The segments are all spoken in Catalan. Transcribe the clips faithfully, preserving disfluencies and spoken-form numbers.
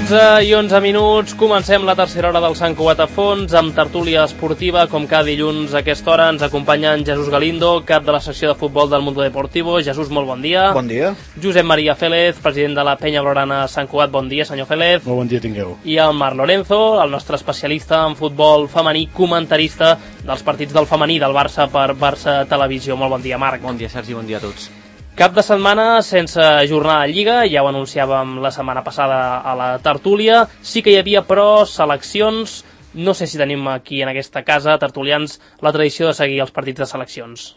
dotze i onze minuts, comencem la tercera hora del Sant Cugat a fons amb tertúlia esportiva. Com cada dilluns a aquesta hora ens acompanya en Jesús Galindo, cap de la secció de futbol del Mundo Deportivo. Jesús, molt bon dia. Bon dia. Josep Maria Félez, president de la Penya Blaugrana Sant Cugat. Bon dia, senyor Félez. Molt bon dia tingueu. I el Marc Lorenzo, el nostre especialista en futbol femení, comentarista dels partits del femení del Barça per Barça Televisió. Molt bon dia, Marc. Bon dia, Sergi, bon dia a tots. Cap de setmana sense jornada de Lliga, ja ho anunciàvem la setmana passada a la tertúlia. Sí que hi havia, però, seleccions. No sé si tenim aquí en aquesta casa, tertulians, la tradició de seguir els partits de seleccions.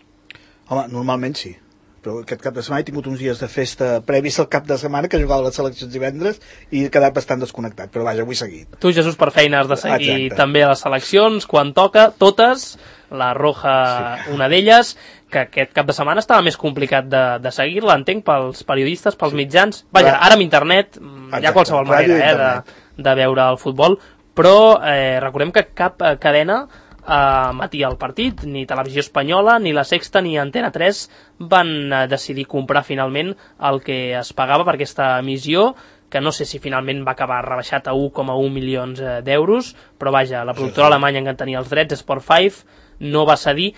Home, normalment sí. Però aquest cap de setmana he tingut uns dies de festa previs al cap de setmana, que jugava les seleccions divendres, i he quedat bastant desconnectat. Però vaja, avui he seguit. Tu, Jesús, per feina has de seguir Exacte. també les seleccions, quan toca, totes, la roja sí. una d'elles, que aquest cap de setmana estava més complicat de, de seguir-la, entenc, pels periodistes, pels sí. mitjans. Vaja, ara amb internet Exacte. Hi ha qualsevol manera eh, de, de veure el futbol, però eh, recordem que cap eh, cadena eh, emetia el partit, ni Televisió Espanyola, ni La Sexta, ni Antena tres van eh, decidir comprar finalment el que es pagava per aquesta emissió, que no sé si finalment va acabar rebaixat a un coma un milions eh, d'euros, però vaja, la productora sí, sí. alemanya que en tenia els drets, Sport cinc, no va cedir.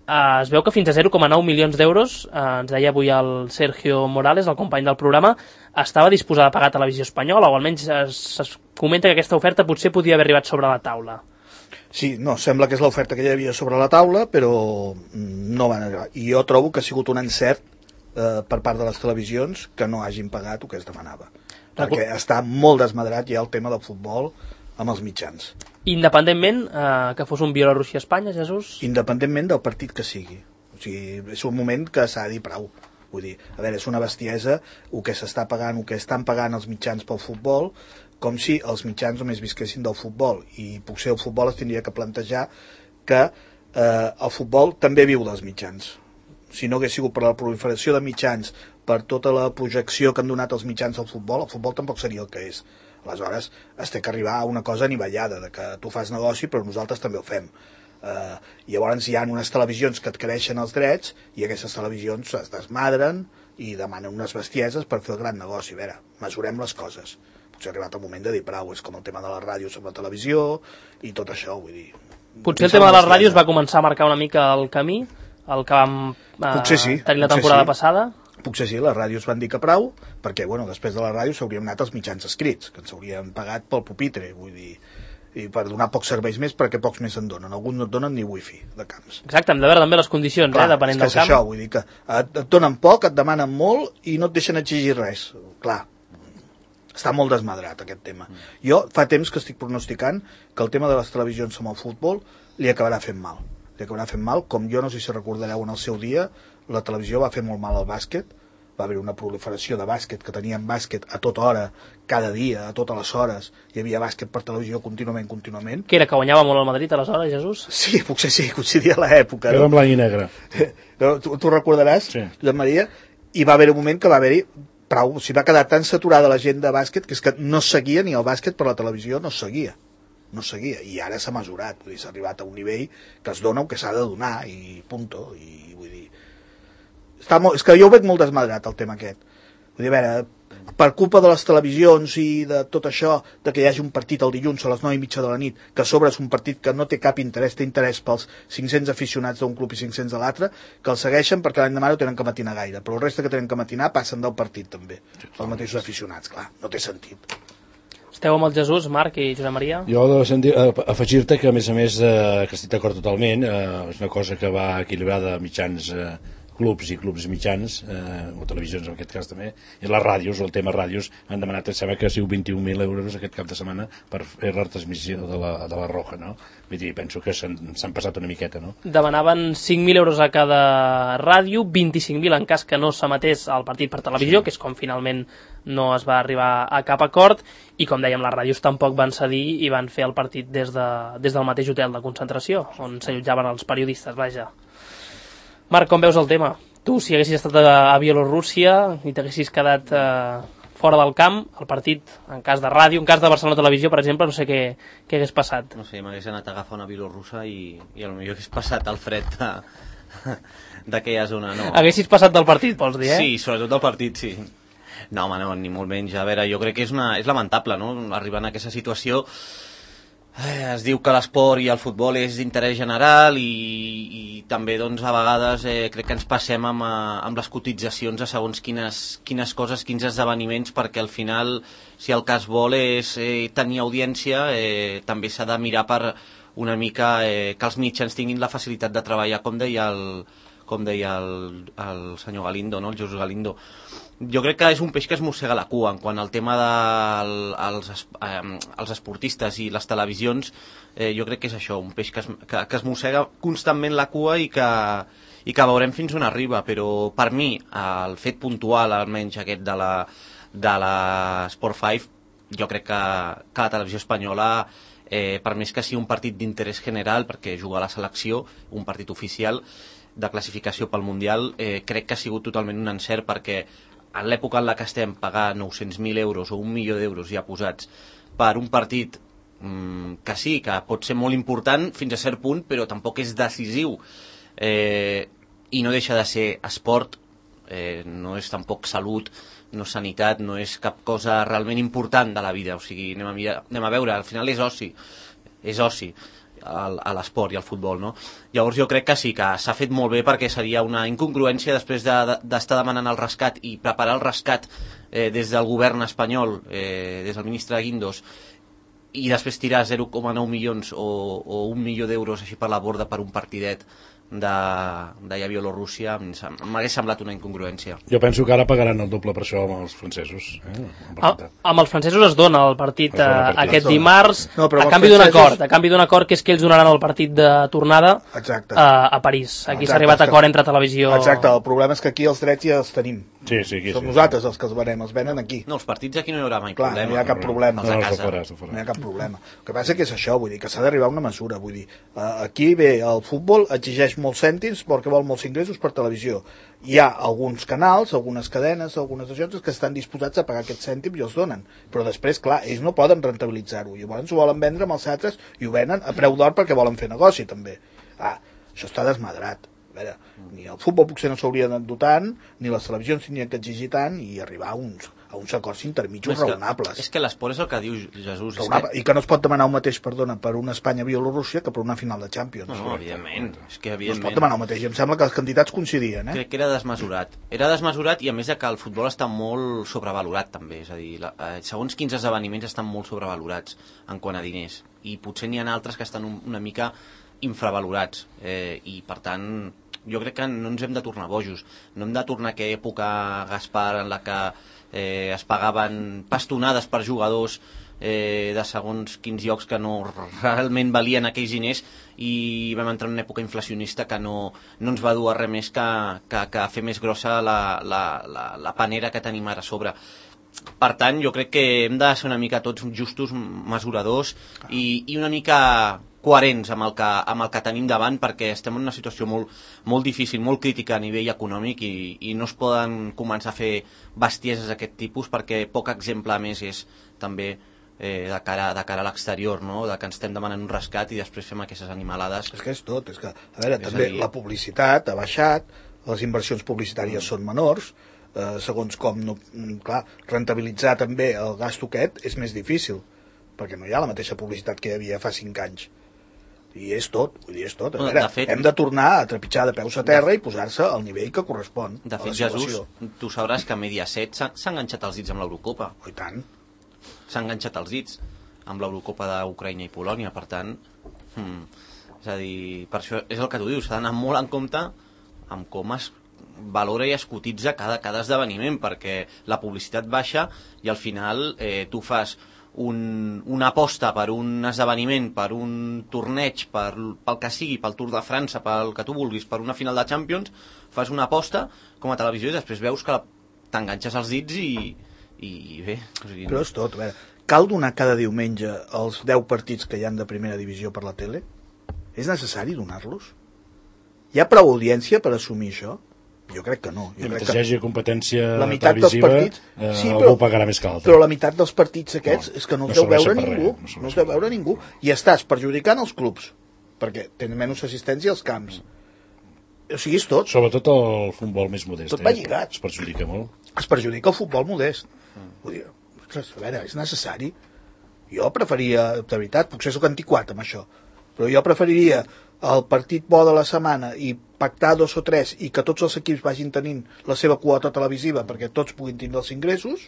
Uh, es veu que fins a zero coma nou milions d'euros, uh, ens deia avui el Sergio Morales, el company del programa, estava disposada a pagar Televisió Espanyola, o almenys es, es comenta que aquesta oferta potser podia haver arribat sobre la taula. Sí, no, sembla que és l'oferta que hi havia sobre la taula, però no van arribar. I jo trobo que ha sigut un encert eh, per part de les televisions que no hagin pagat el que es demanava. Recu... Perquè està molt desmadrat ja el tema del futbol amb els mitjans. Independentment eh, que fos un Bielorússia-Espanya, Jesús? Independentment del partit que sigui. O sigui, és un moment que s'ha de dir prou. Vull dir, a veure, és una bestiesa el que s'està pagant, el que estan pagant els mitjans pel futbol, com si els mitjans només visquessin del futbol. I potser el futbol es tindria que plantejar que eh, el futbol també viu dels mitjans. Si no hagués sigut per la proliferació de mitjans, per tota la projecció que han donat els mitjans al futbol, el futbol tampoc seria el que és. Aleshores, es té que arribar a una cosa anivellada, de que tu fas negoci, però nosaltres també ho fem. Uh, llavors hi ha unes televisions que et creixen els drets, i aquestes televisions es desmadren i demanen unes bestieses per fer el gran negoci. A veure, mesurem les coses. Potser ha arribat el moment de dir prou, és com el tema de la ràdio sobre la televisió, i tot això, vull dir... Potser el tema de les ràdios va començar a marcar una mica el camí, el que vam uh, sí, tenir la temporada sí. passada. Potser sí, les ràdios van dir que prou, perquè bueno, després de la ràdio s'haurien anat els mitjans escrits, que ens haurien pagat pel pupitre, vull dir, i per donar pocs serveis més perquè pocs més en donen. Alguns no et donen ni wifi de camps. Exacte, hem de veure també les condicions, Clar, eh, depenent del camp. Això, vull dir que et, et donen poc, et demanen molt i no et deixen exigir res. Clar, està molt desmadrat aquest tema. Jo fa temps que estic pronosticant que el tema de les televisions amb el futbol li acabarà fent mal. Li acabarà fent mal, com jo no sé si recordareu en el seu dia, la televisió va fer molt mal al bàsquet, va haver una proliferació de bàsquet, que teníem bàsquet a tota hora, cada dia, a totes les hores, hi havia bàsquet per televisió contínuament, contínuament. Que era que guanyava molt el Madrid aleshores, Jesús? Sí, potser sí, coincidia l'època. Era en blanc i negre. No, tu, tu recordaràs, sí. Josep Maria, i va haver un moment que va haver-hi prou, o sigui, va quedar tan saturada la gent de bàsquet que és que no seguia ni el bàsquet per la televisió, no seguia. no seguia, i ara s'ha mesurat, vull dir, s'ha arribat a un nivell que es dona o que s'ha de donar, i punto, i vull dir... Està molt, és que jo ho veig molt desmadrat, el tema aquest. Vull dir, a veure, per culpa de les televisions i de tot això, de que hi hagi un partit el dilluns a les nou i mitja de la nit, que a sobre és un partit que no té cap interès, té interès pels cinc-cents aficionats d'un club i cinc-cents de l'altre, que el segueixen perquè l'any demà no tenen que matinar gaire, però el reste que tenen que matinar passen del partit també, els mateixos aficionats, clar, no té sentit. Esteu amb el Jesús, Marc i Josep Maria? Jo he de sentir, afegir-te que a més a més eh, que estic d'acord totalment, eh, és una cosa que va equilibrada a mitjans eh, clubs i clubs mitjans, eh, o televisions en aquest cas també, i les ràdios, o el tema ràdios, han demanat, em sembla que ha sigut vint-i-un mil euros aquest cap de setmana per fer la retransmissió de la, de la Roja, no? Vull dir, penso que s'han passat una miqueta, no? Demanaven cinc mil euros a cada ràdio, vint-i-cinc mil en cas que no s'emetés el partit per televisió, sí. Que és com finalment no es va arribar a cap acord, i com dèiem, les ràdios tampoc van cedir i van fer el partit des, de, des del mateix hotel de concentració, on s'allotjaven els periodistes, vaja. Marc, com veus el tema? Tu, si haguessis estat a Bielorússia i t'haguessis quedat eh, fora del camp, el partit, en cas de ràdio, en cas de Barcelona Televisió, per exemple, no sé què, què hagués passat. No sé, m'hagués anat a agafar una bielorrussa i, i potser hagués passat el fred d'aquella zona, no. Haguessis passat del partit, vols dir, eh? Sí, sobretot del partit, sí. No, home, no, ni molt menys. A veure, jo crec que és, una, és lamentable, no?, arribar a aquesta situació. Eh, es diu que l'esport i el futbol és d'interès general i, i també doncs, a vegades eh, crec que ens passem amb, amb les cotitzacions a segons quines, quines coses, quins esdeveniments, perquè al final, si el que es vol és eh, tenir audiència, eh, també s'ha de mirar per una mica eh, que els mitjans tinguin la facilitat de treballar, com deia el, com deia el, el senyor Galindo, no? El Jesús Galindo. Jo crec que és un peix que es mossega la cua en quant al tema dels de eh, els esportistes i les televisions. Eh, jo crec que és això, un peix que es, que, que es mossega constantment la cua i que, i que veurem fins on arriba, però per mi el fet puntual almenys aquest de la, de la Sport cinc, jo crec que, que la televisió espanyola, eh, per més que sigui un partit d'interès general, perquè juga a la selecció, un partit oficial de classificació pel Mundial, eh, crec que ha sigut totalment un encert, perquè en l'època en la que estem pagar nou-cents mil euros o un milió d'euros ja posats per un partit mmm, que sí, que pot ser molt important fins a cert punt, però tampoc és decisiu, eh, i no deixa de ser esport, eh, no és tampoc salut, no és sanitat, no és cap cosa realment important de la vida. O sigui, anem a, mirar, anem a veure, al final és oci, és oci a l'esport i al futbol, no? Llavors jo crec que sí, que s'ha fet molt bé, perquè seria una incongruència després d'estar de, de, demanant el rescat i preparar el rescat eh, des del govern espanyol, eh, des del ministre Guindos, i després tirar zero coma nou milions o, o un milió d'euros així per la borda per un partidet d'allà a Bielorússia. M'hagués semblat una incongruència. Jo penso que ara pagaran el doble per això amb els francesos. Eh? Ah, amb els francesos es dona el partit, dona el partit. aquest dimarts, no, a canvi d'un francesos... acord, a canvi d'un acord que és que ells donaran el partit de tornada a, a París. Aquí s'ha arribat a acord entre televisió... Exacte, el problema és que aquí els drets ja els tenim. Sí, sí, aquí, Som sí, nosaltres sí. els que els venem, els venen aquí. No, els partits aquí no hi haurà mai Clar, problema. no hi ha cap problema. No, no, no, fora, fora. no hi ha cap problema. El que passa que és això, vull dir, que s'ha d'arribar a una mesura. Vull dir, aquí bé, el futbol exigeix molts cèntims perquè vol molts ingressos per televisió. Hi ha alguns canals, algunes cadenes, algunes agències que estan disposats a pagar aquests cèntims i els donen. Però després, clar, ells no poden rentabilitzar-ho. Llavors ho volen vendre amb els altres i ho venen a preu d'or perquè volen fer negoci, també. Ah, això està desmadrat. A veure, ni el futbol potser no s'hauria de dotar tant, ni les televisions tindrien que exigir tant i arribar a uns, a uns acords intermitjos raonables. És que l'esport és el que diu Jesús. Raonable. I que no es pot demanar el mateix, perdona, per una Espanya-Bielorússia que per una final de Champions. No, no, evidentment. És que, evidentment. No es pot demanar el mateix. I em sembla que les quantitats coincidien, eh? Crec que era desmesurat. Era desmesurat i a més de que el futbol està molt sobrevalorat també. És a dir, la, eh, segons quins esdeveniments estan molt sobrevalorats en quant a diners. I potser n'hi ha altres que estan un, una mica infravalorats. Eh, I per tant... jo crec que no ens hem de tornar bojos, no hem de tornar a aquella època, Gaspar, en la que eh, es pagaven pastonades per jugadors eh, de segons quins llocs que no realment valien aquells diners, i vam entrar en una època inflacionista que no, no ens va dur a res més que, que, que fer més grossa la, la, la, la panera que tenim ara a sobre. Per tant, jo crec que hem de ser una mica tots justos, mesuradors i, i una mica coherents amb el, que, amb el que tenim davant, perquè estem en una situació molt, molt difícil, molt crítica a nivell econòmic, i, i no es poden començar a fer bestieses d'aquest tipus, perquè poc exemple més és també eh, de, cara, de cara a l'exterior, no? De que ens estem demanant un rescat i després fem aquestes animalades. És que és tot, és que, a veure, és també a dir... la publicitat ha baixat, les inversions publicitàries mm. són menors, eh, segons com, no, clar, rentabilitzar també el gasto aquest és més difícil, perquè no hi ha la mateixa publicitat que hi havia fa cinc anys. I és tot, vull dir, és tot. A veure, de fet, hem de tornar a trepitjar de peus a terra de... i posar-se al nivell que correspon. De fet, Jesús, tu sabràs que Mediaset s'ha enganxat els dits amb l'Eurocopa. Oh, i tant. S'ha enganxat els dits amb l'Eurocopa d'Ucraïna i Polònia, per tant, hmm, és a dir, per això és el que tu dius, s'ha d'anar molt en compte amb com es valora i es cotitza cada, cada esdeveniment, perquè la publicitat baixa i al final eh, tu fas Un, una aposta per un esdeveniment, per un torneig, per, pel que sigui, pel Tour de França, pel que tu vulguis, per una final de Champions, fas una aposta com a televisió i després veus que t'enganxes els dits i, i bé... O sigui, però és tot, a veure, cal donar cada diumenge els deu partits que hi han de primera divisió per la tele? És necessari donar-los? Hi ha prou audiència per assumir això? Jo crec que no. Jo mentre crec que hi hagi competència la meitat televisiva, dels partits, eh, sí, algú pagarà més que l'altre. Però la meitat dels partits aquests no, és que no els no deu veure per ningú. Res, no els deu veure ningú. I estàs perjudicant els clubs, perquè tenen menys assistència als camps. o sigui, és tot. Sobretot el futbol més modest. Tot va lligat. Es perjudica molt. Es perjudica el futbol modest. Vull dir, ostres, a veure, és necessari. Jo preferia, de veritat, potser soc antiquat amb això, però jo preferiria el partit bo de la setmana i pactar dos o tres i que tots els equips vagin tenint la seva quota televisiva perquè tots puguin tindre els ingressos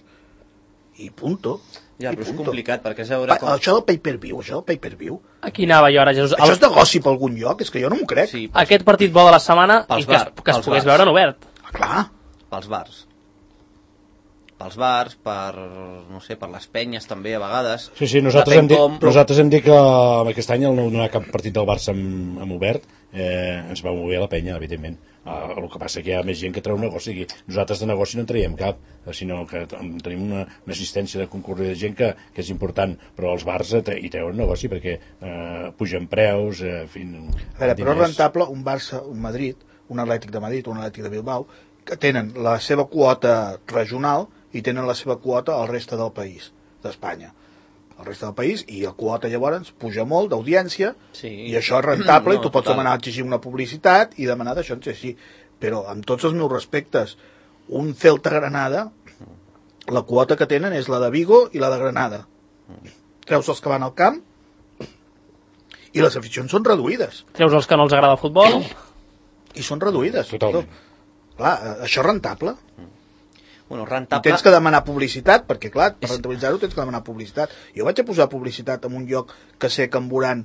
i punto. Ja, I però és punto. complicat, perquè és veure Pa, com... Això del pay-per-view, això del pay-per-view. Aquí anava jo ara, Jesús. Això és negoci per algun lloc, és que jo no m'ho crec. Sí, pels, Aquest partit bo de la setmana Pels i que es, bar- que es pels pogués bars. veure en obert. Ah, clar. pels bars. Pels bars, per, no sé, per les penyes també, a vegades. Sí, sí, nosaltres Depèn hem, dit, com, però- nosaltres hem dit que aquest any al no donar cap partit del Barça amb, amb obert eh, ens va mover la penya, evidentment. Uh, el que passa que hi ha més gent que treu negoci. Aquí. Nosaltres de negoci no en traiem cap, sinó que tenim una, una assistència de concurrir de gent que, que és important, però els bars hi treuen negoci perquè eh, pugen preus, eh, en fi... A veure, però és rentable un Barça, un Madrid, un Atlètic de Madrid, un Atlètic de Bilbao, que tenen la seva quota regional i tenen la seva quota al reste del país, d'Espanya. El reste del país, i la quota llavors puja molt d'audiència, Sí. i això és rentable, No, i tu pots total. demanar exigir una publicitat i demanar d'això, no sé si... Però amb tots els meus respectes, un Celta Granada, la quota que tenen és la de Vigo i la de Granada. Treus els que van al camp i les aficions són reduïdes. Treus els que no els agrada el futbol. I són reduïdes. Totalment. Clar, això és rentable. Bueno, I rentable... tens que demanar publicitat, perquè clar, per rentabilitzar-ho tens que demanar publicitat. Jo vaig a posar publicitat en un lloc que sé que en veuran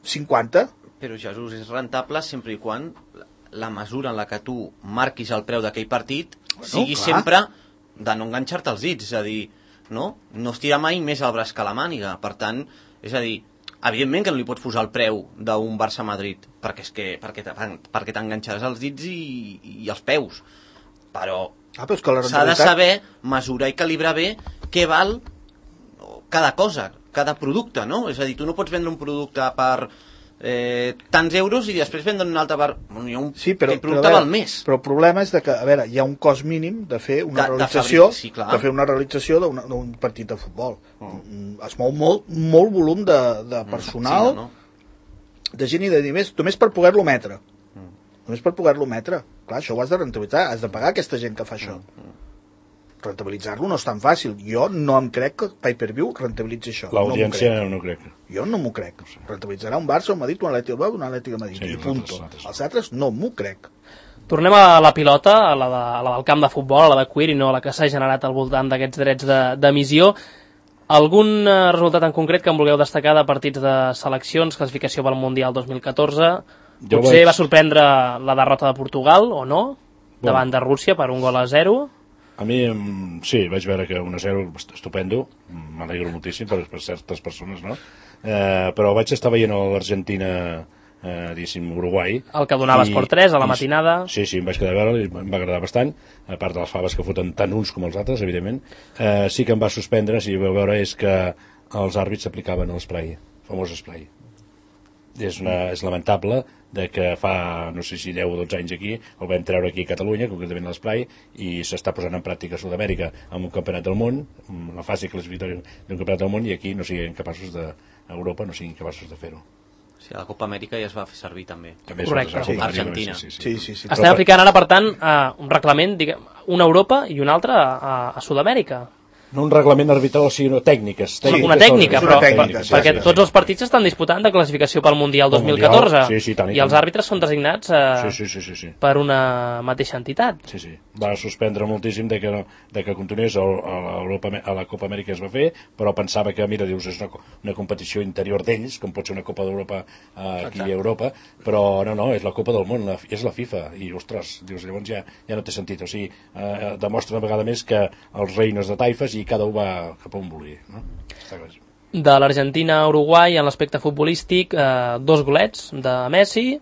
cinquanta. Però, Jesús, és rentable sempre i quan la mesura en la que tu marquis el preu d'aquell partit Bueno, sigui clar. sempre de no enganxar-te els dits, és a dir, no? No estirar mai més el braç que la màniga. Per tant, és a dir, evidentment que no li pots posar el preu d'un Barça-Madrid, perquè és que perquè te- perquè t'enganxaràs els dits i, i els peus. Però Ah, però és que la s'ha de rentabilitat... saber mesurar i calibrar bé què val cada cosa, cada producte, no? És a dir, tu no pots vendre un producte per eh, tants euros i després vendre un altre per... Bueno, hi ha un, Sí, però, aquell però, producte a veure, val més. però el problema és de que, a veure, hi ha un cost mínim de fer una De- de realització fabric- sí, clar. de fer una realització d'un d'un partit de futbol. Mm. Es mou molt, molt volum de, de personal, Sí, no, no. de gent i de diners, només per poder-lo emetre. Només per poder-lo emetre. Clar, això ho has de rentabilitzar, has de pagar aquesta gent que fa això. Rentabilitzar-lo no és tan fàcil. Jo no em crec que pay-per-view rentabilitzi això. L'audiència No m'ho crec. no, crec. Jo no m'ho crec. Rentabilitzarà un Barça, un Madrid, un Atlètic de Bilbao, un Atlètic de Madrid. Sí, I els punto. altres- els altres no. Els altres no m'ho crec. Tornem a la pilota, a la, de, a la del camp de futbol, a la de cuir, i no a la que s'ha generat al voltant d'aquests drets de- d'emissió. Algun eh, resultat en concret que em vulgueu destacar de partits de seleccions, classificació pel Mundial dos mil catorze? Jo Potser vaig- va sorprendre la derrota de Portugal, o no? Davant de Rússia per un gol a zero. A mi, em, sí, vaig veure que un a zero estupendo, m'alegro moltíssim per, per certes persones, no? Eh, però vaig estar veient l'Argentina, eh, diguéssim, Uruguai. El que donava Esport tres a la matinada. Sí, sí, em vaig quedar a veure, em va agradar bastant, a part de les faves que foten tant uns com els altres, evidentment. Eh, sí que em va suspendre, si vau veure, és que els àrbits aplicaven l'esprai, el famós esprai. És, una, és lamentable de que fa, no sé si deu o dotze anys aquí, el vam treure aquí a Catalunya, concretament a l'Esplai, i s'està posant en pràctica a Sud-amèrica amb un campionat del món, amb la fase classificatòria d'un campionat del món, i aquí no siguin capaços de, a Europa no siguin capaços de fer-ho. Sí, a la Copa Amèrica ja es va fer servir també. També es Correcte. fa Sí, Argentina. Sí, sí, Sí, sí, sí. Estem aplicant ara, per tant, eh, un reglament, diguem, una a Europa i un altre a, a Sud-amèrica. No un reglament arbitral, sinó tècniques. tècniques Una tècnica, és però, una tècnica, per- sí, perquè sí, sí. tots els partits estan disputant de classificació pel Mundial Pel dos mil catorze, Mundial, sí, sí, tant i i els tant. àrbitres són designats eh, Sí, sí, sí, sí, sí. per una mateixa entitat. Sí, sí. Va suspendre moltíssim de que, no, de que continués a, a, Europa, a la Copa Amèrica es va fer, però pensava que, mira, dius, és una, una competició interior d'ells, com pot ser una Copa d'Europa eh, aquí a Europa, però no, no, és la Copa del Món, la, és la FIFA, i, ostres, dius, llavors ja, ja no té sentit. O sigui, eh, demostra una vegada més que els reines de taifes i cada un va cap on vulgui, no? Està clar. De l'Argentina a Uruguai, en l'aspecte futbolístic, eh, dos golets de Messi,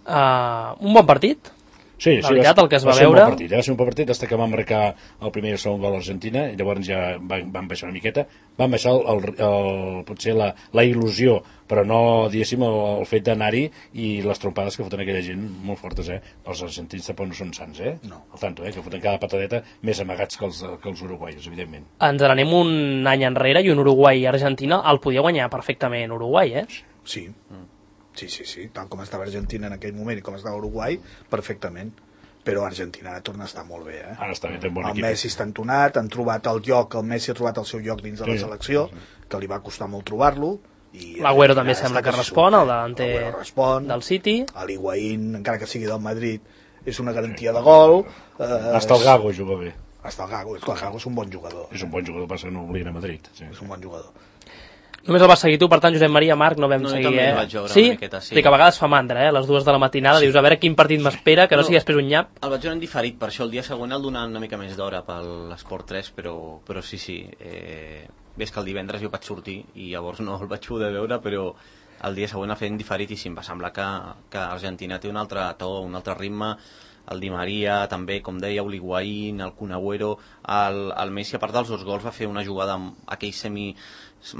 eh, un bon partit. Sí, La sí, veritat, el que es va ser un veure- bon partit, eh? va ser un bon partit, fins que van marcar el primer i el segon gol a Argentina, i llavors ja van, van baixar una miqueta, van baixar el, el, el, potser la, la il·lusió, però no, diguéssim, el, el fet d'anar-hi i les trompades que foten aquella gent molt fortes, eh? Els argentins tampoc no són sants, eh? No. Al tanto, eh? Que foten cada patadeta més amagats que els, que els uruguais, evidentment. Ens n'anem un any enrere i un Uruguai i Argentina el podia guanyar perfectament Uruguai, eh? Sí. Sí, sí, sí, tal com estava Argentina en aquell moment i com estava Uruguai, perfectament. Però Argentina torna a estar molt bé, eh? Ara està bé, té un bon el equip. Messi està entonat, han trobat el lloc, el Messi ha trobat el seu lloc dins de la Sí, selecció, sí. que li va costar molt trobar-lo. L'Agüero també sembla que respon, el davanter del City. L'Higuaín, encara que sigui del Madrid, és una garantia de gol. Eh, Hasta el Gago juga bé. Hasta el Gago, és que el Gago és un bon jugador. És un bon jugador, passa que no oblien a Madrid. Sí. És un bon jugador. Només el vas seguir tu, per tant, Josep Maria, Marc, no vam No, jo seguir, també eh? el vaig veure sí? una miqueta, sí. sí? que a vegades fa mandra, eh? A les dues de la matinada, sí. Dius, a veure quin partit m'espera, que no, no sigui després un nyap. El vaig veure en diferit, per això el dia següent el donant una mica més d'hora per l'Esport tres, però, però sí, sí. Eh, ves que el divendres jo vaig sortir i llavors no el vaig poder veure, però el dia següent el feien diferit i sí, em va semblar que, que Argentina té un altre to, un altre ritme. El Di Maria també, com deia, l'Higuaín, el Kun Agüero, el, el Messi, a part dels dos gols, va fer una jugada amb aquell semi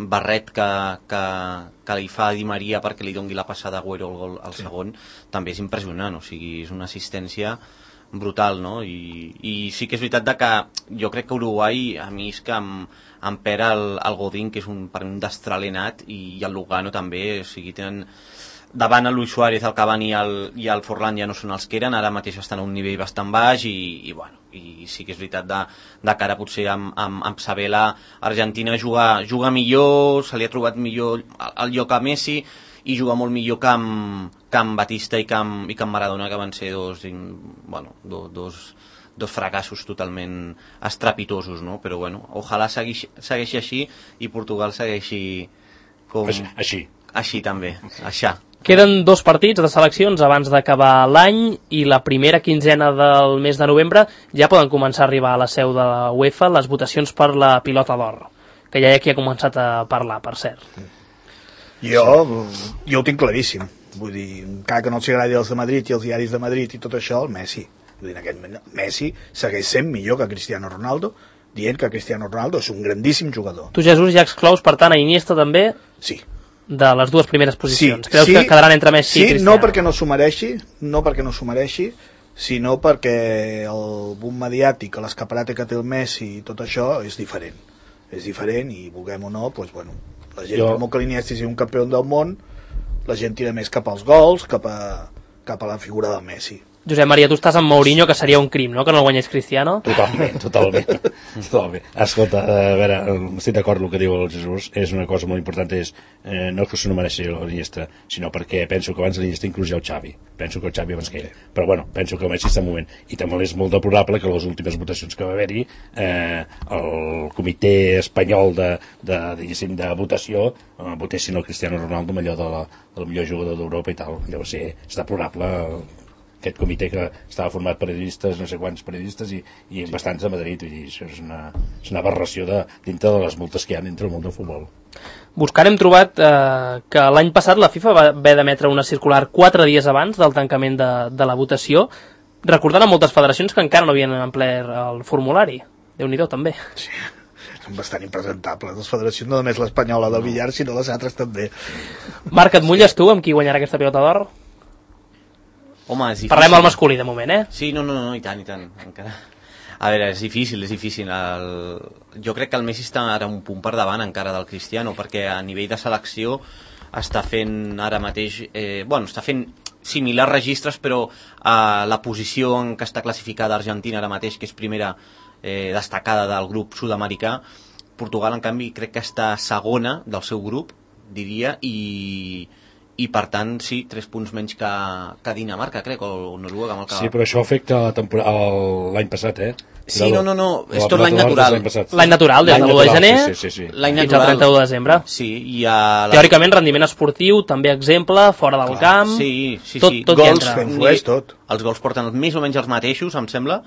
barret que, que, que li fa a Di Maria perquè li dongui la passada a Agüero el gol al sí. segon, també és impressionant, o sigui, és una assistència brutal, no? I, i sí que és veritat de que jo crec que Uruguai, a mi és que em, em pera el, el Godín, que és un, per un destral·lenat, i, i el Lugano també, o sigui, tenen davant el Luis Suárez, el Cavani i el, i el Forlán ja no són els que eren, ara mateix estan a un nivell bastant baix i, i, bueno, i sí que és veritat de, de cara potser amb, amb, amb Sabela Argentina juga, juga millor, se li ha trobat millor el, el lloc a Messi i juga molt millor que amb, que amb Batista i que amb, i que amb Maradona, que van ser dos, bueno, do, dos, dos fracassos totalment estrepitosos, no? Però bueno, ojalà segueixi, segueixi així i Portugal segueixi com... Així, així. Així també, així. Queden dos partits de seleccions abans d'acabar l'any i la primera quinzena del mes de novembre ja poden començar a arribar a la seu de la UEFA les votacions per la pilota d'or, que ja hi ha qui ha començat a parlar, per cert. Jo, jo ho tinc claríssim. Vull dir, encara que no els agradi els de Madrid i els diaris de Madrid i tot això, el Messi. Vull dir, en aquest moment, Messi segueix sent millor que Cristiano Ronaldo, dient que Cristiano Ronaldo és un grandíssim jugador. Tu, Jesús, ja exclous, per tant, a Iniesta també... Sí. De les dues primeres posicions. Sí, Creus sí, que quedaran entre Messi sí, i Cristiano? No perquè no s'ho mereixi, no perquè no s'ho mereixi, sinó perquè el boom mediàtic, l'escaparate que té el Messi i tot això és diferent. És diferent i, vulguem o no, doncs, bueno, la gent, jo... per molt que l'Iniesta sigui un campió del món, la gent tira més cap als gols, cap a, cap a la figura del Messi. Josep Maria, tu estàs amb Mourinho, que seria un crim, no?, que no el guanyés Cristiano. Totalment, totalment. totalment. Escolta, a veure, estic d'acord amb el que diu el Jesús, és una cosa molt important, és eh, no que se no mereixi l'Iniesta, sinó perquè penso que abans l'Iniesta inclús ja el Xavi. Penso que el Xavi abans que ell. Però bueno, penso que el Messi està en moment. I també és molt deplorable que les últimes votacions que va haver-hi, eh, el comitè espanyol de, de, diguéssim, de votació eh, votessin el Cristiano Ronaldo millor de la, del millor jugador d'Europa i tal. Llavors sí, és deplorable aquest comitè que estava format per periodistes, no sé quants periodistes i, i bastants de Madrid, vull dir, això és una, és una aberració de, dintre de les multes que hi ha dintre el món del futbol. Buscant hem trobat eh, que l'any passat la FIFA va haver d'emetre una circular quatre dies abans del tancament de, de la votació, recordant a moltes federacions que encara no havien emplert el formulari. Déu-n'hi-do, també. Sí, són bastant impresentables. Les federacions, no només l'espanyola del billar, sinó les altres també. Marc, et mulles tu amb qui guanyarà aquesta pilota d'or? Home, és difícil. Parlem al masculí de moment, eh? Sí, no, no, no, i tant, i tant. Encara... A veure, és difícil, és difícil. El... Jo crec que el Messi està ara un punt per davant encara del Cristiano, perquè a nivell de selecció està fent ara mateix... Eh, bueno, està fent similars registres, però a la posició en què està classificada Argentina ara mateix, que és primera eh, destacada del grup sud-americà, Portugal, en canvi, crec que està segona del seu grup, diria, i... i per tant, sí, tres punts menys que, que Dinamarca, crec, o Noruega. Amb el que... Sí, però això afecta l'any passat, eh? Sí, no, no, no, és tot l'any natural. L'any natural, des de l'u de gener sí, sí, sí. fins al trenta-u de desembre. Sí, i a la... Teòricament, rendiment esportiu, també exemple, fora del Clar, camp... Sí, sí, tot, sí. tot Gols, influeix tot. Els gols porten més o menys els mateixos, em sembla,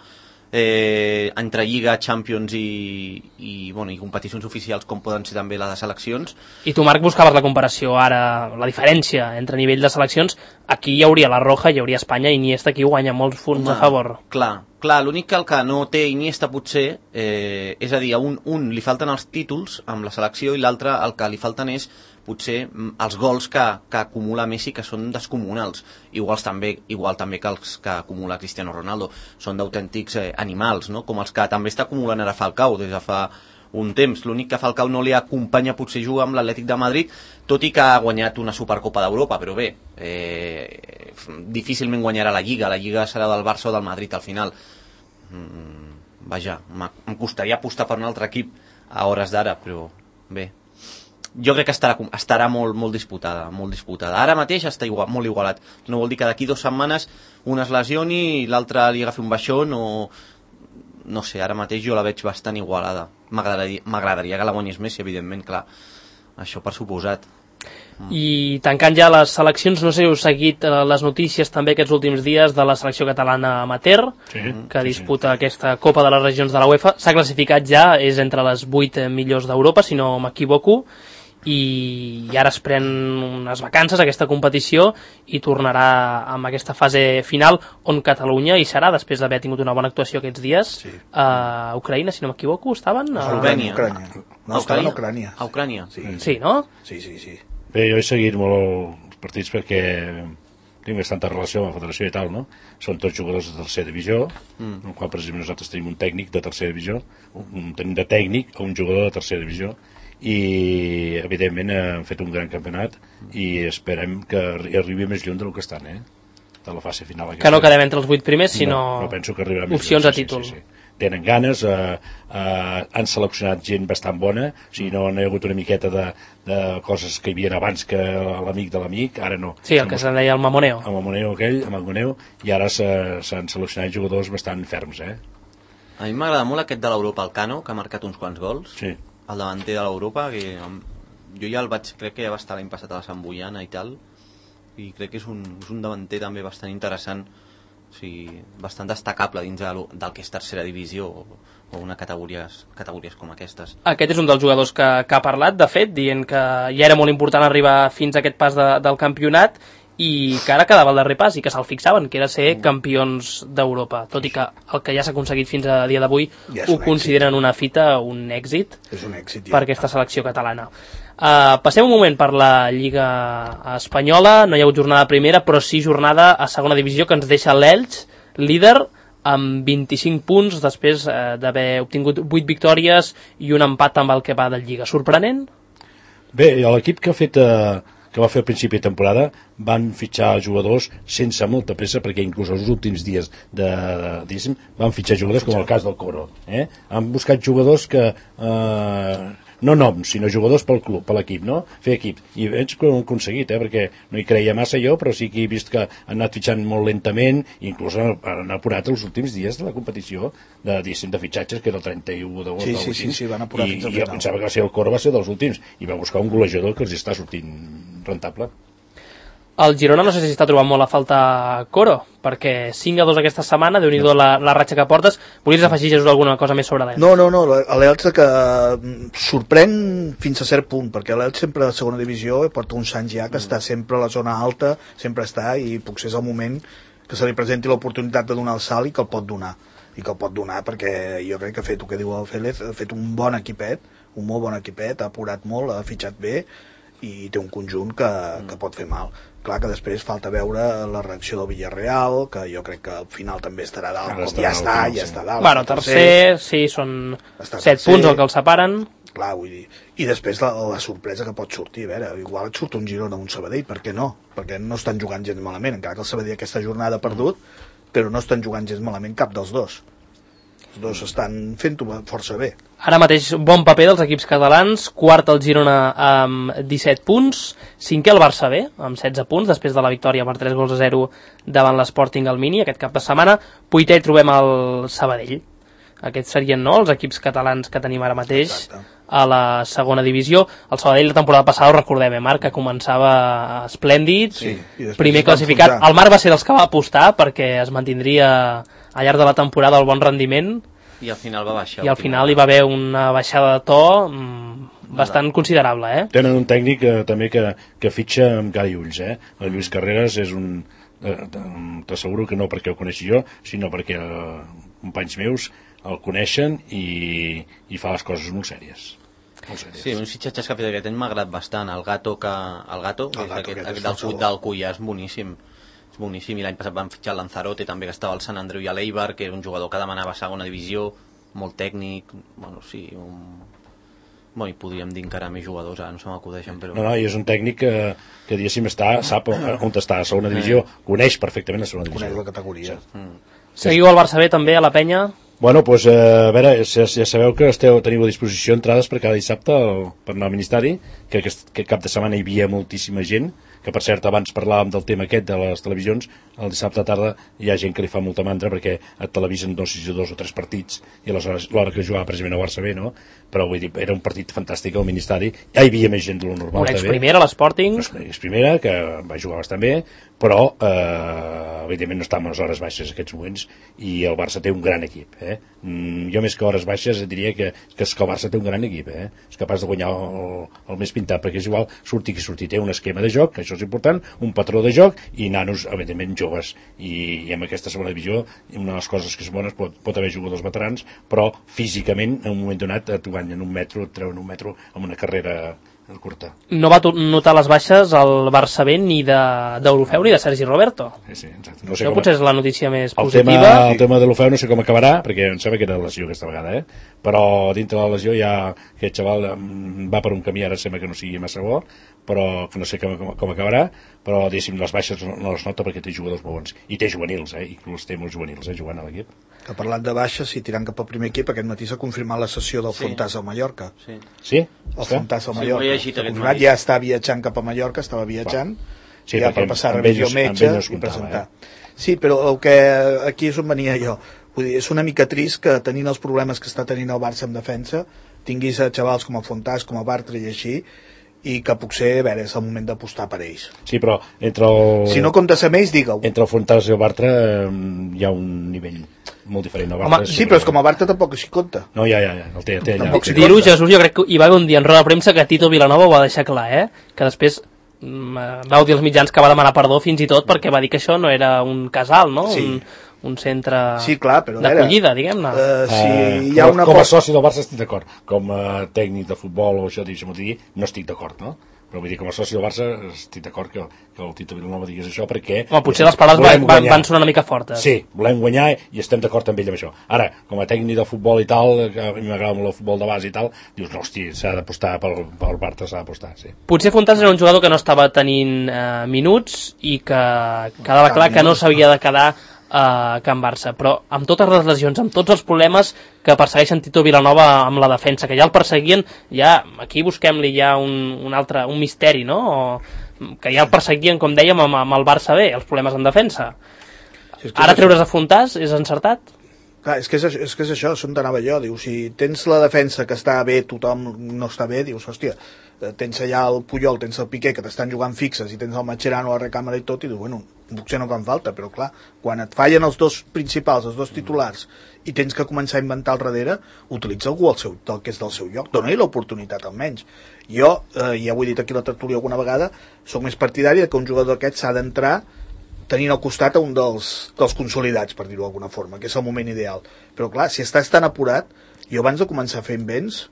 eh, entre Lliga, Champions i, i, bueno, i competicions oficials com poden ser també les de seleccions. I tu, Marc, buscaves la comparació ara, la diferència entre nivell de seleccions. Aquí hi hauria la Roja, hi hauria Espanya, i Iniesta aquí guanya molts punts Home, a favor. Clar, clar, l'únic que el que no té Iniesta potser, eh, és a dir, a un, un li falten els títols amb la selecció i l'altre el que li falten és potser els gols que, que acumula Messi, que són descomunals, iguals també, igual també que els que acumula Cristiano Ronaldo, són d'autèntics eh, animals, no? Com els que també està acumulant ara Falcao des de fa un temps. L'únic que Falcao no li acompanya potser juga amb l'Atlètic de Madrid, tot i que ha guanyat una Supercopa d'Europa, però bé, eh, difícilment guanyarà la Lliga, la Lliga serà del Barça o del Madrid al final. Mm, vaja, em costaria apostar per un altre equip a hores d'ara, però bé, jo crec que estarà, estarà molt, molt disputada, molt disputada. Ara mateix està igual, molt igualat. No vol dir que d'aquí dues setmanes un es lesioni i l'altre li agafi un baixón o... No sé, ara mateix jo la veig bastant igualada. M'agradaria que la guanyés Messi, evidentment, clar. Això per suposat. Mm. I tancant ja les seleccions, no sé si heu seguit les notícies també aquests últims dies de la selecció catalana amateur, sí, que disputa sí, sí. aquesta Copa de les Regions de la UEFA. S'ha classificat ja, és entre les vuit millors d'Europa, si no m'equivoco, i ara es pren unes vacances aquesta competició i tornarà amb aquesta fase final on Catalunya hi serà, després d'haver tingut una bona actuació aquests dies. Sí. A Ucraïna, si no m'equivoco, estaven? A Eslovènia. Ucrània. No, estaven a Ucrània. A Ucrània. Sí. sí, no? Sí, sí, sí. Bé, jo he seguit molt els partits perquè tinc bastanta relació amb la federació i tal, no? Són tots jugadors de tercera divisió, mm. en el qual, per exemple, nosaltres tenim un tècnic de tercera divisió, un, tenim de tècnic a un jugador de tercera divisió, i evidentment han fet un gran campionat i esperem que arribi més lluny del que estan, eh? De la fase final aquesta. Que no quedem entre els vuit primers, sinó no, no penso que arribarà més opcions lluny. a títol. Sí, sí, sí. Tenen ganes, eh, eh, han seleccionat gent bastant bona, o sigui, no hi ha hagut una miqueta de, de coses que hi havia abans que l'amic de l'amic, ara no. Sí, el que se'n deia el mamoneo. El mamoneo aquell, el mamoneo, i ara s'han seleccionat jugadors bastant ferms, eh? A mi m'agrada molt aquest de l'Europa, el Cano, que ha marcat uns quants gols. Sí. El davanter de l'Europa, que jo ja el vaig, crec que ja va estar l'any passat a la Sant Boiana i tal, i crec que és un, és un davanter també bastant interessant, o sigui, bastant destacable dins de, del que és tercera divisió o, o una categories, categories com aquestes. Aquest és un dels jugadors que, que ha parlat, de fet, dient que ja era molt important arribar fins a aquest pas de, del campionat i que ara quedava el darrer pas i que se'l fixaven, que era ser campions d'Europa, tot i que el que ja s'ha aconseguit fins a dia d'avui ja ho consideren èxit. Una fita, un èxit, és un èxit ja. Per aquesta selecció catalana. Uh, passem un moment per la Lliga Espanyola, no hi ha hagut jornada primera, però sí jornada a segona divisió que ens deixa l'Elx, líder, amb vint-i-cinc punts després uh, d'haver obtingut vuit victòries i un empat amb el que va de Lliga. Sorprenent? Bé, l'equip que ha fet... Uh... que va fer al principi de temporada, van fitxar jugadors sense molta pressa, perquè inclús els últims dies de, de, van fitxar jugadors com el cas del Coro. Eh? Han buscat jugadors que... Eh, no noms, sinó jugadors pel club, per l'equip, no? Fer equip. I veig que ho han aconseguit, eh? Perquè no hi creia massa jo, però sí que he vist que han anat fitxant molt lentament, i inclús han, han apurat els últims dies de la competició de, de fitxatges, que era el trenta-u d'agost. Sí, sí, sí, sí, van apurar i, fins al final. I jo pensava que va ser el Coro, va ser dels últims, i va buscar un golejador que els està sortint rentable. El Girona no sé si està trobant molt a falta Coro, perquè cinc a dos aquesta setmana, déu-n'hi-do la, la ratxa que portes. Volies afegir, Jesús, alguna cosa més sobre l'Elx? No, no, no, l'Elx que sorprèn fins a cert punt, perquè l'Elx sempre a segona divisió porta uns anys ja que mm. està sempre a la zona alta, sempre està, i potser és el moment que se li presenti l'oportunitat de donar el salt i que el pot donar. I que el pot donar perquè jo crec que ha fet el que diu el Félez, ha fet un bon equipet, un molt bon equipet, ha apurat molt, ha fitxat bé, i té un conjunt que, que pot fer mal. Clar que després falta veure la reacció del Villarreal, que jo crec que al final també estarà dalt, com ja està, ja està dalt. Bueno, tercer, sí, són set punts el que els separen. Clar, vull dir, i després la, la sorpresa que pot sortir, a veure, igual et surt un Girona o un Sabadell, per què no? Perquè no estan jugant gens malament, encara que el Sabadell aquesta jornada ha perdut, però no estan jugant gens malament cap dels dos. Els dos estan fent-ho força bé. Ara mateix bon paper dels equips catalans, quart el Girona amb disset punts, cinquè el Barça B amb setze punts, després de la victòria per tres gols a zero davant l'Sporting al Mini aquest cap de setmana. Vuitè trobem el Sabadell. Aquests serien, no, els equips catalans que tenim ara mateix. Exacte. A la segona divisió. El Sabadell la temporada passada, ho recordem, eh, Marc, que començava esplèndid, sí, primer classificat. El Marc va ser dels que va apostar perquè es mantindria al llarg de la temporada el bon rendiment, i al final va baixar. I al final hi va haver una baixada de to mmm, bastant considerable, eh? Tenen un tècnic eh, també que, que fitxa amb cara i ulls, eh? El Lluís Carreras és un... Eh, t'asseguro que no perquè ho coneixi jo, sinó perquè eh, companys meus el coneixen i, i fa les coses molt sèries. Molt sèries. Sí, uns fitxatges que ha fet aquest any m'ha agradat bastant. El Gato, que, el Gato, el Gato aquest, aquest del, del Cullà, és boníssim. És boníssim, i l'any passat van fitxar el Lanzarote també, que estava al Sant Andreu i a l'Eibar, que era un jugador que demanava segona divisió, molt tècnic, bueno, sí, un, Bueno, i podríem dir encara més jugadors, ara no se m'acudeixen, però... No, no, i és un tècnic que, que diguéssim, està, sap on està, a segona divisió, coneix perfectament la segona divisió. Coneix la categoria. Sí. Mm. Seguiu al Barça B també, a la penya? Bueno, doncs, pues, a veure, ja, ja sabeu que esteu, teniu a disposició entrades per cada dissabte el, per anar al Ministeri, que aquest que cap de setmana hi havia moltíssima gent, que per cert abans parlàvem del tema aquest de les televisions, el dissabte a tarda hi ha gent que li fa molta mandra perquè et televisen dos, dos o tres partits i aleshores l'hora que jugava precisament a Barça B, no? Però vull dir, era un partit fantàstic al Ministeri, ja hi havia més gent de lo normal. Una ex-primera, l'Sporting. Una ex-primera, que va jugar bastant bé, però eh, evidentment no està en les hores baixes en aquests moments i el Barça té un gran equip. Eh? Mm, jo més que hores baixes diria que, que, és que el Barça té un gran equip, eh? És capaç de guanyar el, el més pintat, perquè és igual surti qui surti, té un esquema de joc, que això és important, un patró de joc i nanos evidentment joves, i, i amb aquesta segona divisió una de les coses que és bones pot, pot haver jugadors veterans, però físicament en un moment donat t'ho guanyen un metro, et treuen un metro amb una carrera curta. No va notar les baixes al Barça B ni d'Orofeu ni de Sergi Roberto. Sí, sí, exacte. No sé Això com... potser és la notícia més el positiva. Tema, el tema de l'Orofeu no sé com acabarà, perquè em sembla que era lesió aquesta vegada, eh? Però dintre de la lesió ja aquest xaval va per un camí, ara sembla que no sigui massa bo, però que no sé com, com acabarà, però diguéssim les baixes no, no les nota perquè té jugadors molt bons. I té juvenils, eh? I els té molts juvenils, eh? Jugant a l'equip. Que parlant de baixes, si tirant cap al primer equip, aquest matí s'ha confirmat la sessió del Sí. Fontàs al Mallorca. Sí. Sí? El Fontàs al Sí, Mallorca. ho he llegit S'ha aquest confirmat, matí. ja està viatjant cap a Mallorca, estava viatjant, Sí, ja perquè per passar amb revisió ells- metge amb ells no es i comptava, presentar. Sí, però el que aquí és on venia jo. Vull dir, és una mica trist que tenint els problemes que està tenint el Barça en defensa, tinguis a xavals com el Fontàs, com el Bartra i així, i que potser, a veure, és el moment d'apostar per ells. Sí, però entre el... Si no comptes amb ells, digue-ho. Entre el Fontàs i el Bartra eh, hi ha un nivell molt diferent. El Bartra Home, sí, però és com el Bartra tampoc així compta. No, ja, ja, ja, el té, té allà. Tampoc sí. Dir-ho, Jesús, jo crec que hi va haver un dia en roda de premsa que Tito Vilanova ho va deixar clar, eh? Que després mm, vau dir als mitjans que va demanar perdó fins i tot perquè va dir que això no era un casal, no? Sí. Un, un centre Sí, clar, però a veure, d'acollida, diguem-ne. Uh, si Eh, hi ha com, una com a cosa... soci del Barça estic d'acord. Com a tècnic de futbol o això, deixa'm dir, no estic d'acord, no? Però vull dir, com a soci del Barça estic d'acord que, que el Tito Vilanova digués això perquè... Home, potser les paraules van, volem van, guanyar. van sonar una mica fortes. Sí, volem guanyar i estem d'acord amb ell amb això. Ara, com a tècnic de futbol i tal, que a mi m'agrada molt el futbol de base i tal, dius, no, hosti, s'ha d'apostar pel, pel Barça, s'ha d'apostar, sí. Potser Fontàs era un jugador que no estava tenint eh, minuts i que quedava clar que no s'havia de quedar a Can Barça, però amb totes les lesions, amb tots els problemes que persegueixen Tito Vilanova amb la defensa, que ja el perseguien, ja aquí busquem-li ja un, un altre, un misteri, no? O, que ja el perseguien, com dèiem, amb, amb el Barça B, els problemes en defensa. Si és que Ara és treure's a Fontàs és encertat? Clar, és que és, això- és que és això, és on t'anava jo. Diu, si tens la defensa que està bé, tothom no està bé, dius, hòstia, eh, tens allà el Puyol, tens el Piqué, que t'estan jugant fixes, i tens el Mascherano a la recàmera i tot, i dius, bueno, potser no fan falta, però clar, quan et fallen els dos principals, els dos titulars, i tens que començar a inventar al darrere, utilitza algú al seu, del que és del seu lloc, dona-li l'oportunitat almenys. Jo, eh, ja ho he dit aquí a la tertúlia alguna vegada, sóc més partidari de que un jugador d'aquest s'ha d'entrar tenint al costat a un dels, dels consolidats, per dir-ho d'alguna forma, que és el moment ideal. Però clar, si estàs tan apurat, jo abans de començar fent vents,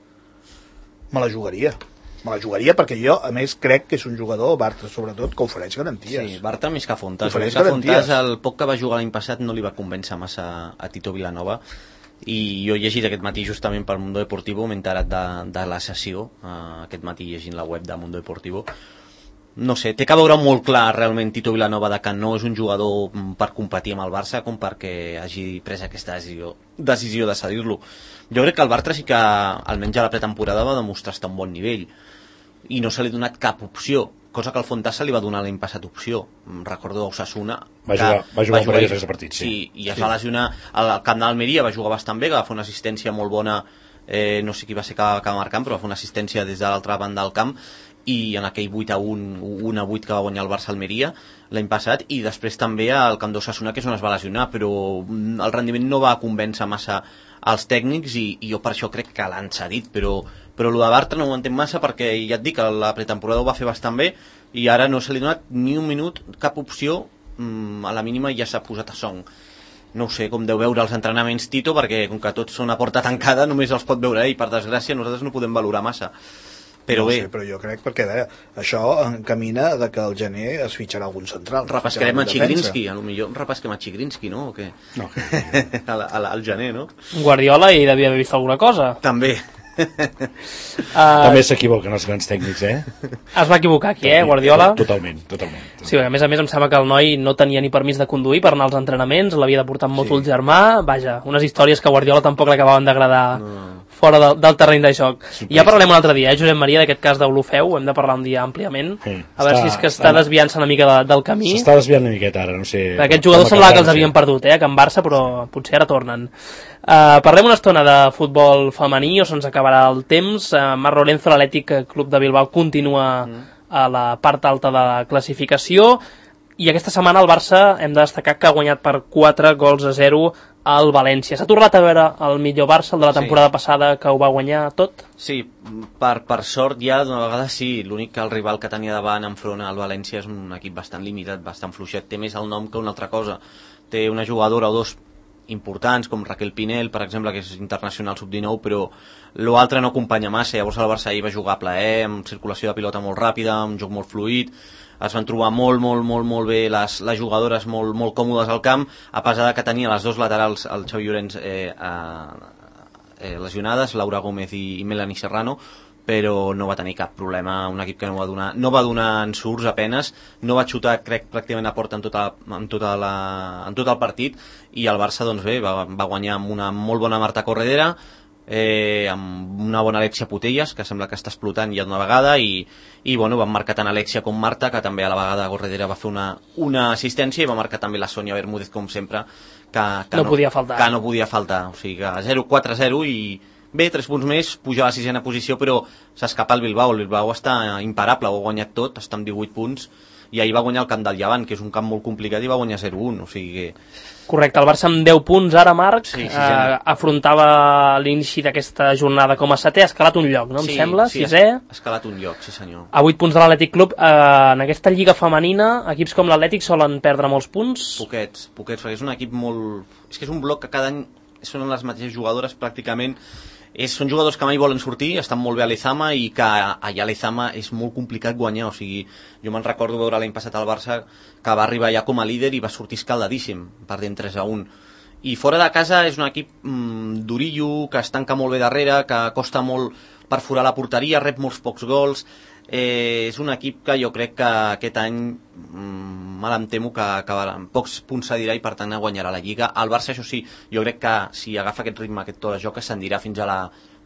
me la jugaria. Me la jugaria perquè jo, a més, crec que és un jugador, Bartra sobretot, que ofereix garanties. Sí, Bartra més que Fontàs. Ofereix Més que garanties. Fontàs, el poc que va jugar l'any passat no li va convèncer massa a Tito Vilanova, i jo he llegit aquest matí justament per Mundo Deportivo, m'he enterat de, de la sessió, uh, aquest matí llegint la web de Mundo Deportivo. No sé, té que veure molt clar realment Tito Vilanova de que no és un jugador mm, per competir amb el Barça com perquè hagi pres aquesta decisió, decisió de cedir-lo. Jo crec que el Bartra sí que, almenys a la pretemporada, va demostrar estar a un bon nivell i no se li ha donat cap opció, cosa que al Fontàs se li va donar l'any passat opció. Mm, Recordo Osasuna, Va que jugar, va jugar un parell i- de partits, sí. sí, i es va lesionar al camp d'Almeria, va jugar bastant bé, que va fer una assistència molt bona, eh, no sé qui va ser que, que va marcar, però va fer una assistència des de l'altra banda del camp, i en aquell vuit a un, un a vuit que va guanyar el Barça Almeria l'any passat, i després també al camp d'Osasuna, que és on es va lesionar, però mm, el rendiment no va convèncer massa als tècnics, i, i jo per això crec que l'han cedit, però, però el de Bartra no ho entenc massa, perquè ja et dic que la pretemporada ho va fer bastant bé, i ara no se li ha donat ni un minut, cap opció, mm, a la mínima ja s'ha posat a song. No ho sé com deu veure els entrenaments Tito, perquè com que tots són a porta tancada només els pot veure ell, per desgràcia nosaltres no podem valorar massa. Però no bé, sé, però jo crec perquè a veure, això encamina de que al gener es fitxarà algun central. repescarem a Es fitxarà algun Chigrinsky, a lo millor repesquem a Chigrinsky, no? O què? No, que... a la, a la, al gener, no? Guardiola hi devia haver vist alguna cosa. També, uh, També s'equivoquen els grans tècnics, eh? Es va equivocar aquí, eh, Guardiola? Totalment, totalment. totalment. Sí, a més a més em sembla que el noi no tenia ni permís de conduir per anar als entrenaments, l'havia de portar amb moto Sí. el germà, vaja, unes històries que a Guardiola tampoc l'acabaven d'agradar No. fora del, del terreny de joc. Sorpresa. I ja parlem un altre dia, eh, Josep Maria, d'aquest cas d'Olofeu, hem de parlar un dia àmpliament, Sí, a veure està- si és que està està- desviant-se una mica de, del camí. S'està desviant una miqueta ara, no sé... Aquests jugadors com semblava que acabaran, els havien sí. perdut, eh, a Can Barça, però potser ara tornen. Uh, parlem una estona de futbol femení o se'ns acabarà el temps. Uh, Mar Lorenzo, l'Atlètic Club de Bilbao, continua mm. a la part alta de la classificació i aquesta setmana el Barça hem de destacar que ha guanyat per quatre gols a zero al València. S'ha tornat a veure el millor Barça, el de la temporada Sí. passada, que ho va guanyar tot? Sí, per, per sort ja d'una vegada sí, l'únic que el rival que tenia davant enfront al València és un equip bastant limitat, bastant fluixet, té més el nom que una altra cosa, té una jugadora o dos importants com Raquel Pinel, per exemple, que és internacional sub dinou, però l'altre no acompanya massa. Llavors el Barça ahir va jugar a plaer, amb circulació de pilota molt ràpida, amb un joc molt fluid, es van trobar molt, molt, molt, molt bé les, les jugadores molt, molt còmodes al camp, a pesar de que tenia les dos laterals, el Xavi Llorens eh, eh, lesionades, Laura Gómez i, i Melanie Serrano, però no va tenir cap problema, un equip que no va donar, no va donar ensurts apenes, no va xutar, crec, pràcticament a porta en, tota, en, tota la, en tot el partit, i el Barça, doncs bé, va, va guanyar amb una molt bona Marta Corredera, eh, amb una bona Alexia Putellas, que sembla que està explotant ja d'una vegada, i, i bueno, van marcar tant Alexia com Marta, que també a la vegada Corredera va fer una, una assistència, i va marcar també la Sònia Bermúdez, com sempre, que, que No podia faltar. Que no podia faltar, o sigui que zero quatre a zero i bé, tres punts més, puja a la sisena posició, però s'escapa el Bilbao. El Bilbao està imparable, ho ha guanyat tot, està amb divuit punts, i ahir va guanyar el camp del Llevant, que és un camp molt complicat, i va guanyar zero un, o sigui que... Correcte, el Barça amb deu punts ara, Marc, Sí, sí, eh, afrontava l'inici d'aquesta jornada com a setè, ha escalat un lloc, no em sí, sembla? Sí, Sisè? ha escalat un lloc, sí senyor. A vuit punts de l'Atlètic Club. Eh, en aquesta lliga femenina, equips com l'Atlètic solen perdre molts punts. Poquets, poquets, perquè és un equip molt... És que és un bloc que cada any són les mateixes jugadores pràcticament. És, són jugadors que mai volen sortir, estan molt bé a l'Ezama, i que allà a l'Ezama és molt complicat guanyar, o sigui, jo me'n recordo veure l'any passat al Barça que va arribar ja com a líder i va sortir escaldadíssim, perdent tres a un. I fora de casa és un equip mmm, durillo, que es tanca molt bé darrere, que costa molt perforar la porteria, rep molts pocs gols. Eh, és un equip que jo crec que aquest any mmm, mal em temo que acabarà amb pocs punts cedirà i per tant guanyarà la Lliga. El Barça, això sí, jo crec que si agafa aquest ritme, aquest to de joc, ascendirà fins a la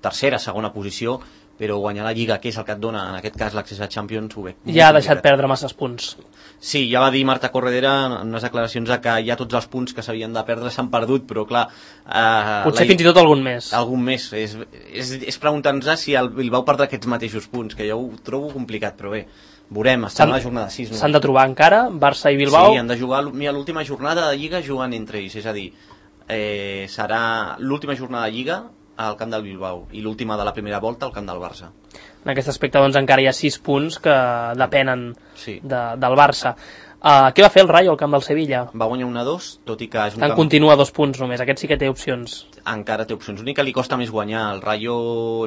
tercera, segona posició, però guanyar la Lliga, que és el que et dona, en aquest cas, l'accés a Champions, ho veig. Ja ha deixat perdre masses punts. Sí, ja va dir Marta Corredera en unes declaracions que ja tots els punts que s'havien de perdre s'han perdut, però clar... Eh, Potser la... fins i tot algun més. Algun més. És, és, és preguntar-nos si el Bilbao perdrà aquests mateixos punts, que jo ho trobo complicat, però bé, veurem, estem a la jornada sis. S'han de trobar encara, Barça i Bilbao. Sí, han de jugar, mira, l'última jornada de Lliga jugant entre ells, és a dir, eh, serà l'última jornada de Lliga al camp del Bilbao i l'última de la primera volta al camp del Barça. En aquest aspecte doncs encara hi ha sis punts que depenen Sí. de, del Barça. Uh, què va fer el Rayo al camp del Sevilla? Va guanyar un a dos, tot i que és un En camp... continua dos punts només, aquest sí que té opcions. Encara té opcions. L'únic que li costa més guanyar. El Rayo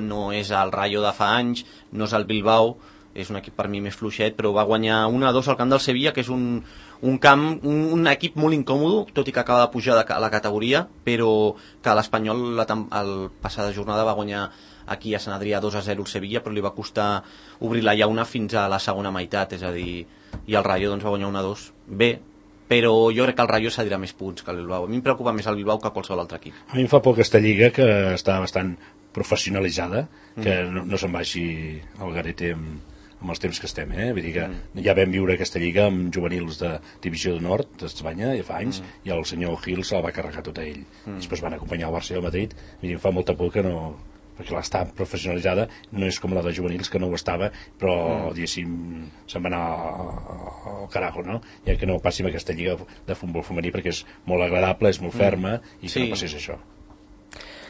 no és el Rayo de fa anys, no és el Bilbao, és un equip per mi més fluixet, però va guanyar un a dos al camp del Sevilla, que és un, un camp, un, un equip molt incòmodo, tot i que acaba de pujar de, a la categoria, però que l'Espanyol la, el passada jornada va guanyar aquí a Sant Adrià dos a zero el Sevilla, però li va costar obrir la llauna fins a la segona meitat, és a dir, i el Rayo doncs, va guanyar un a dos. Bé, però jo crec que el Rayo cedirà més punts que el Bilbao. A mi em preocupa més el Bilbao que qualsevol altre equip. A mi em fa por aquesta lliga, que està bastant professionalitzada, que mm. no, no se'n vagi al garete amb, amb els temps que estem, eh? Vull dir que mm. ja vam viure aquesta lliga amb juvenils de Divisió de Nord d'Espanya fa anys, mm. i el senyor Gil se la va carregar tota ell. Mm. Després van acompanyar el Barça i el Madrid. Vull dir, em fa molta por que no... perquè l'està professionalitzada, no és com la de juvenils que no ho estava, però mm. diguéssim se'n va anar al carajo, no? Ja que no passi amb aquesta lliga de futbol femení, perquè és molt agradable, és molt ferma, i que Sí. no passés això.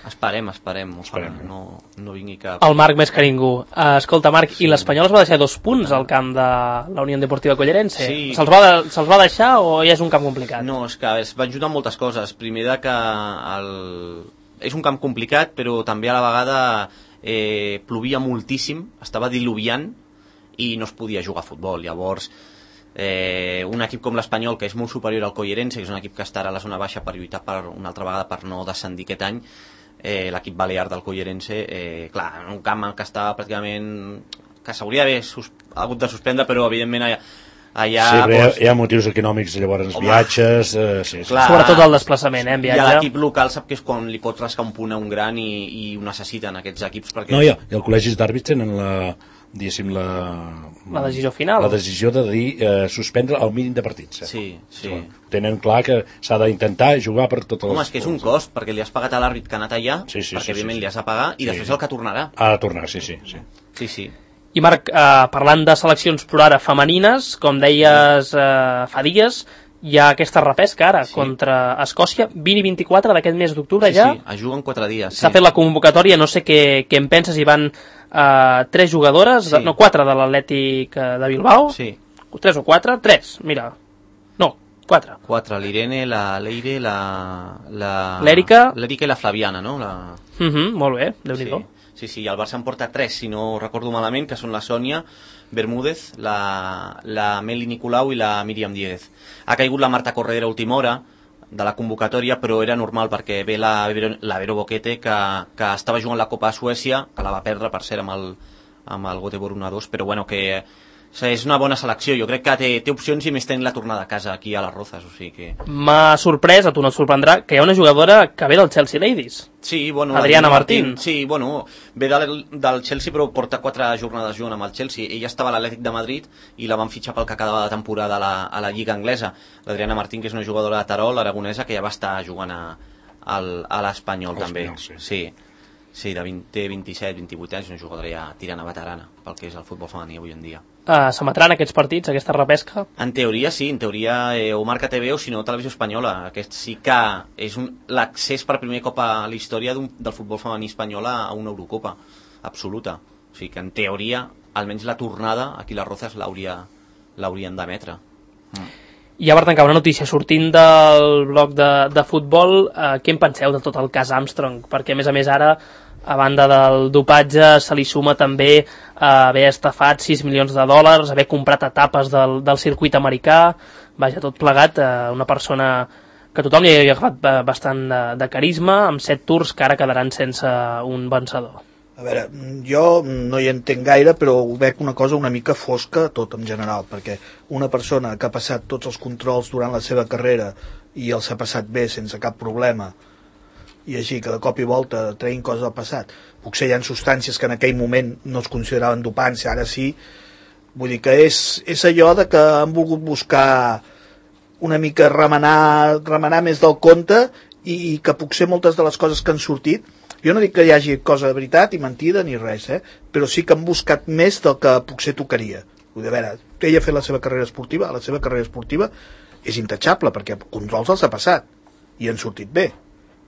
Esperem, esperem, Esperem, ojalà, no, no vingui cap... El Marc més que ningú. Uh, escolta, Marc, sí. I l'Espanyol es va deixar dos punts al camp de la Unió Deportiva Collerense. Sí. Se'ls va, de, se'ls va deixar o ja és un camp complicat? No, és que es van ajudar moltes coses. Primer de que el... és un camp complicat, però també a la vegada eh, plovia moltíssim, estava diluviant i no es podia jugar a futbol. Llavors, eh, un equip com l'Espanyol, que és molt superior al Collerense, que és un equip que estarà a la zona baixa per lluitar per una altra vegada per no descendir aquest any, eh, l'equip balear del Collerense, eh, clar, en un camp que està pràcticament... que s'hauria d'haver sus... hagut de suspendre, però evidentment allà... allà sí, però hi ha, doncs... hi ha motius econòmics, llavors home, viatges... Eh, sí, sí. Clar, sobretot el desplaçament, eh, en viatge. I l'equip local sap que és quan li pot rascar un punt a un gran i, i ho necessiten aquests equips perquè... No, i, i els col·legis d'àrbits tenen la... diguéssim, la... La decisió final. La decisió de dir eh, suspendre el mínim de partits. Eh? Sí, sí. Bueno, tenen clar que s'ha d'intentar jugar per totes les... Home, és que és un cost, perquè li has pagat a l'àrbit que ha anat allà, sí, sí, perquè sí, evidentment sí, sí. li has de pagar, i sí. després el que tornarà. Ha de tornar, sí, sí. Sí, sí. sí. I Marc, eh, parlant de seleccions per ara femenines, com deies eh, fa dies, hi ha aquesta repesca ara sí. contra Escòcia, vint i vint-i-quatre d'aquest mes d'octubre sí, ja. Sí, es juguen quatre dies. S'ha sí. fet la convocatòria, no sé què, què en penses, hi van eh, tres jugadores, sí. no, quatre de l'Atlètic de Bilbao, sí. tres o quatre, tres, mira, no, quatre. Quatre, l'Irene, la Leire, la... l'Èrica. L'Èrica i la Flaviana, no? La... Uh -huh, molt bé, Déu-n'hi-do. Sí. Sí, sí, el Barça en porta tres, si no recordo malament, que són la Sònia Bermúdez, la, la Meli Nicolau i la Míriam Díez. Ha caigut la Marta Corredera a última hora de la convocatòria, però era normal perquè ve la, la Vero Boquete, que, que estava jugant la Copa a Suècia, que la va perdre, per cert, amb el, amb el Göteborg un a dos, però bueno, que és una bona selecció. Jo crec que té, té opcions i més tenint la tornada a casa aquí a les Rozas, o sigui que... M'ha sorprès, a tu no et sorprendrà, que hi ha una jugadora que ve del Chelsea Ladies. Sí, bueno... Adriana Martín. Martín. Sí, bueno, ve del, del Chelsea però porta quatre jornades jugant amb el Chelsea. Ella estava a l'Atlètic de Madrid i la van fitxar pel que quedava de temporada a la, a la Lliga Anglesa. L'Adriana Martín, que és una jugadora de Terol, aragonesa, que ja va estar jugant a, a, a l'Espanyol també. Sí. sí. Sí, de vint, té vint-i-set, vint-i-vuit anys, una jugadora ja tirant a veterana pel que és el futbol femení avui en dia. Uh, S'emetran aquests partits, aquesta repesca? En teoria sí, en teoria eh, o Marca T V o si no Televisió Espanyola. Aquest sí que és l'accés per primer cop a la història del futbol femení espanyol a una Eurocopa absoluta. O sigui que en teoria, almenys la tornada aquí a les Rozas l'haurien d'emetre. Mm. I ja per tancar una notícia, sortint del bloc de, de futbol, eh, què en penseu de tot el cas Armstrong? Perquè a més a més ara, a banda del dopatge, se li suma també eh, haver estafat sis milions de dòlars, haver comprat etapes del, del circuit americà, vaja, tot plegat, eh, una persona que tothom li havia agafat bastant de, de carisma, amb set tours que ara quedaran sense un vencedor. A veure, jo no hi entenc gaire, però ho veig una cosa una mica fosca tot en general, perquè una persona que ha passat tots els controls durant la seva carrera i els ha passat bé sense cap problema, i així que de cop i volta traient coses del passat, potser hi ha substàncies que en aquell moment no es consideraven dopants, ara sí, vull dir que és, és allò de que han volgut buscar una mica remenar, remenar més del compte i, i que potser moltes de les coses que han sortit, jo no dic que hi hagi cosa de veritat i mentida ni res, eh? Però sí que han buscat més del que potser tocaria. Vull dir, a veure, ella ha fet la seva carrera esportiva, la seva carrera esportiva és intachable perquè controls els ha passat i han sortit bé.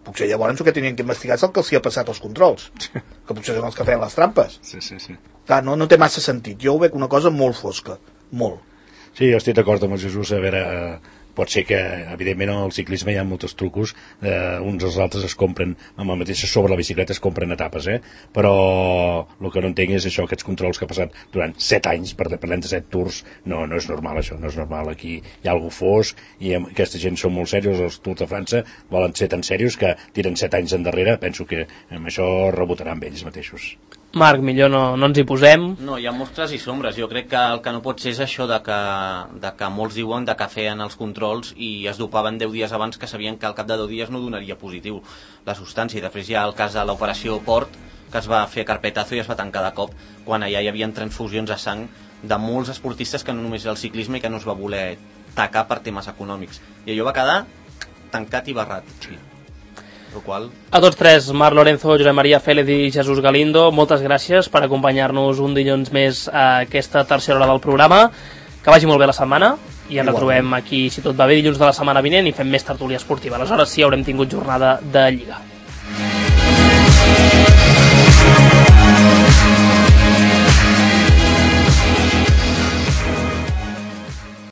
Potser llavors el que tenien que investigar és el que els hi ha passat als controls, que potser són els que feien les trampes. Sí, sí, sí. Clar, no, no té massa sentit. Jo ho veig una cosa molt fosca, molt. Sí, jo estic d'acord amb el Jesús, a veure, eh, pot ser que, evidentment, en el ciclisme hi ha molts trucos, eh, uns als altres es compren, amb la mateixa sobre la bicicleta es compren etapes, eh? Però el que no entenc és això, aquests controls que ha passat durant set anys, per parlem de set tours, no, no és normal això, no és normal, aquí hi ha algú fosc, i aquesta gent són molt serios, els Tours de França volen ser tan serios que tiren set anys endarrere, penso que amb això rebotaran amb ells mateixos. Marc, millor no, no ens hi posem. No, hi ha mostres i sombres. Jo crec que el que no pot ser és això de que, de que molts diuen de que feien els controls i es dopaven deu dies abans que sabien que al cap de deu dies no donaria positiu la substància. I després hi ha el cas de l'operació Port, que es va fer carpetazo i es va tancar de cop, quan allà hi havia transfusions de sang de molts esportistes que no només era el ciclisme i que no es va voler tacar per temes econòmics. I allò va quedar tancat i barrat. Sí. Qual... A tots tres, Marc Lorenzo, Josep Maria Félez i Jesús Galindo, moltes gràcies per acompanyar-nos un dilluns més a aquesta tercera hora del programa. Que vagi molt bé la setmana i ens retrobem aquí, si tot va bé, dilluns de la setmana vinent i fem més tertúlia esportiva. Aleshores sí haurem tingut jornada de Lliga.